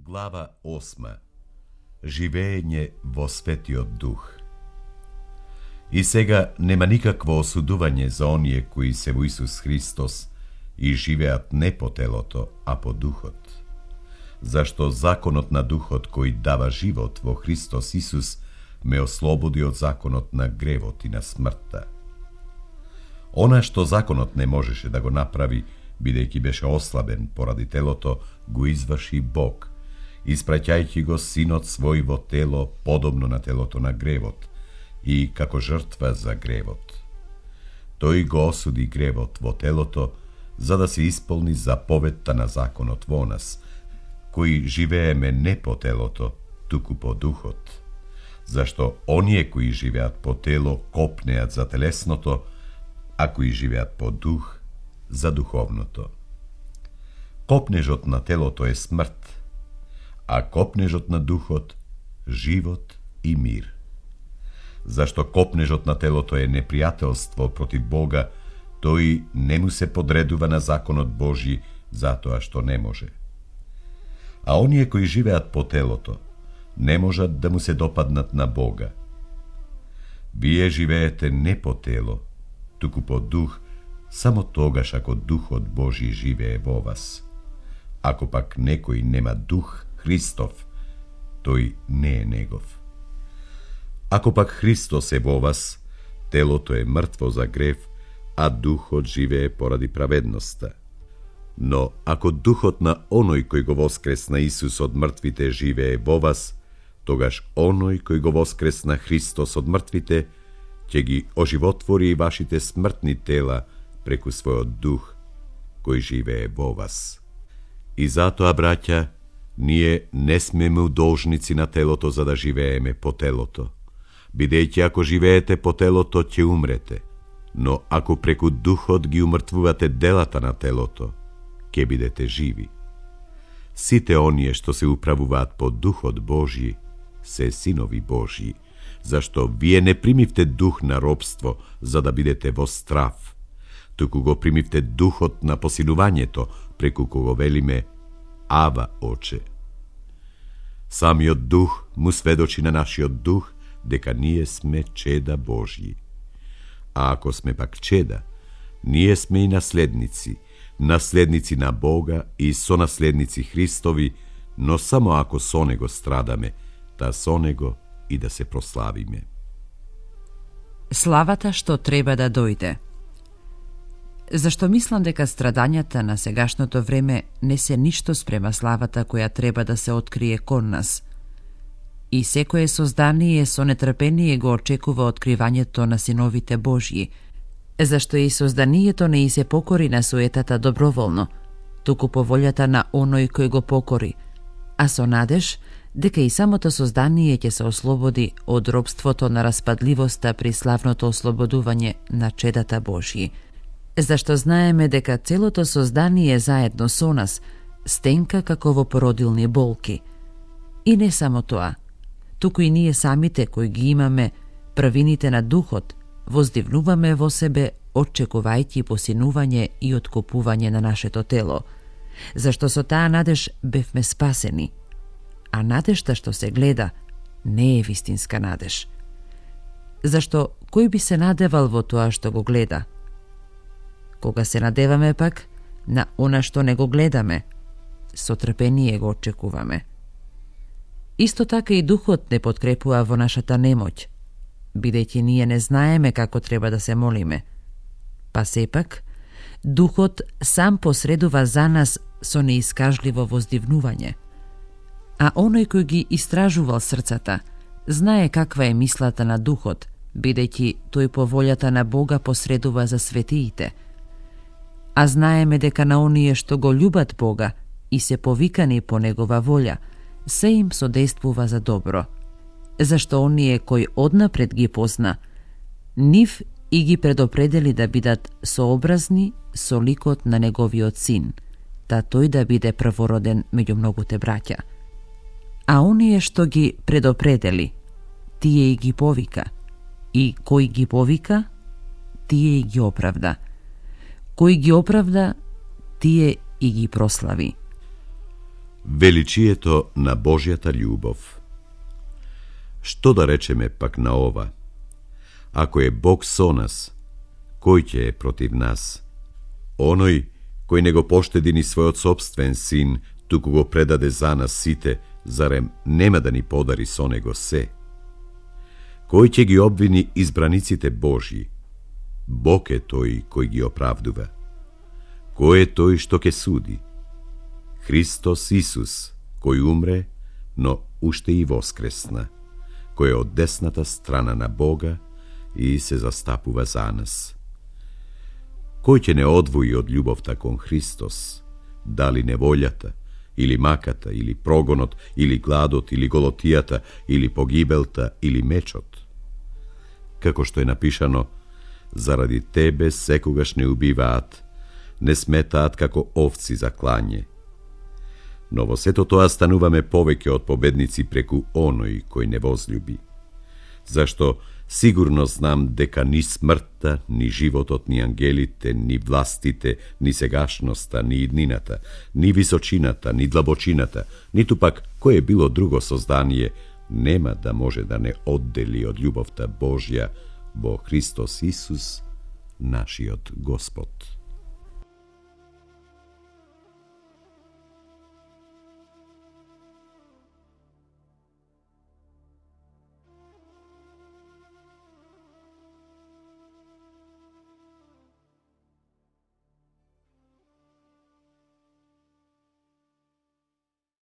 Глава 8. Живење во Светиот Дух. И сега нема никакво осудување за оние кои се во Исус Христос и живеат не по телото, а по Духот. Зашто законот на Духот кој дава живот во Христос Исус ме ослободи од законот на гревот и на смртта. Она што законот не можеше да го направи, бидејќи беше ослабен поради телото, го изврши Бог, испраќајќи го Синот свој во тело подобно на телото на гревот и како жртва за гревот. Тој го осуди гревот во телото, за да се исполни заповедта на законот во нас, кои живееме не по телото, туку по Духот. Зашто оние кои живеат по тело копнеат за телесното, а кои живеат по Дух за духовното. Копнежот на телото е смрт, а копнежот на Духот живот и мир. Зашто копнежот на телото е непријателство против Бога, тој не му се подредува на законот Божји затоа што не може. А оние кои живеат по телото не можат да му се допаднат на Бога. Вие живеете не по тело, туку по Дух, само тогаш ако Духот Божји живее во вас. Ако пак некој нема Дух Христов, тој не е негов. Ако пак Христос е во вас, телото е мртво за грев, а Духот живее поради праведноста. Но ако Духот на оној кој го воскресна Исус од мртвите живее во вас, тогаш оној кој го воскресна Христос од мртвите, ќе ги оживотвори и вашите смртни тела преку својот Дух, кој живее во вас. И затоа, браќа, ние не смеме удолжници на телото за да живееме по телото, бидејќи ако живеете по телото, ќе умрете, но ако преку Духот ги умртвувате делата на телото, ќе бидете живи. Сите оние што се управуваат по Духот Божји, се синови Божји, зашто вие не примивте дух на робство за да бидете во страв, туку го примивте духот на посилувањето, преку кого велиме Ава, Оче. Самиот Дух му сведочи на нашиот дух дека ние сме чеда Божји. А ако сме пак чеда, ние сме и наследници, наследници на Бога и сонаследници Христови, но само ако со Него страдаме, та со Него и да се прославиме. Славата што треба да дојде. Зашто мислам дека страдањата на сегашното време не се ништо спрема славата која треба да се открие кон нас. И секое создание со нетрпение го очекува откривањето на синовите Божји, зашто и созданието не и се покори на суетата доброволно, туку по волјата на оној кој го покори, а со надеж дека и самото создание ќе се ослободи од робството на распадливоста при славното ослободување на чедата Божји. Зашто знаеме дека целото создание заедно со нас стенка како во породилни болки. И не само тоа, туку и ние самите кои ги имаме правините на Духот, воздивнуваме во себе, очекувајќи посинување и откупување на нашето тело, зашто со таа надеж бевме спасени. А надежта што се гледа не е вистинска надеж. Зашто кој би се надевал во тоа што го гледа? Кога се надеваме пак на она што не го гледаме, со трпение го очекуваме. Исто така и Духот не подкрепува во нашата немоќ, бидејќи ние не знаеме како треба да се молиме. Па сепак, Духот сам посредува за нас со неискажливо воздивнување. А оној кој ги истражувал срцата, знае каква е мислата на Духот, бидејќи тој по волјата на Бога посредува за светиите. А знаеме дека на оние што го љубат Бога и се повикани по Негова волја, се им содействува за добро. Зашто оние кои однапред ги позна, нив и ги предопредели да бидат сообразни со ликот на Неговиот Син, та тој да биде првороден меѓу многуте браќа. А оние што ги предопредели, тие и ги повика. И кој ги повика, тие и ги оправда. Кој ги оправда, тие и ги прослави. Величието на Божјата љубов. Што да речеме пак на ова? Ако е Бог со нас, кој ќе е против нас? Оној кој не го поштеди ни својот собствен син, туку го предаде за нас сите, зарем нема да ни подари со него се? Кој ќе ги обвини избраниците Божји? Бог е тој кој ги оправдува. Кој е тој што ќе суди? Христос Исус, кој умре, но уште и воскресна, кој е од десната страна на Бога и се застапува за нас. Кој ќе не одвои од љубовта кон Христос? Дали неволјата, или маката, или прогонот, или гладот, или голотијата, или погибелта, или мечот? Како што е напишано, заради тебе секогаш не убиваат, не сметаат како овци за клање. Но во сето тоа стануваме повеќе од победници преку оној кој не возлюби. Зашто сигурно знам дека ни смртта, ни животот, ни ангелите, ни властите, ни сегашноста, ни иднината, ни височината, ни длабочината, ниту пак кое било друго создание нема да може да не оддели од љубовта Божја во Христос Исус, нашиот Господ.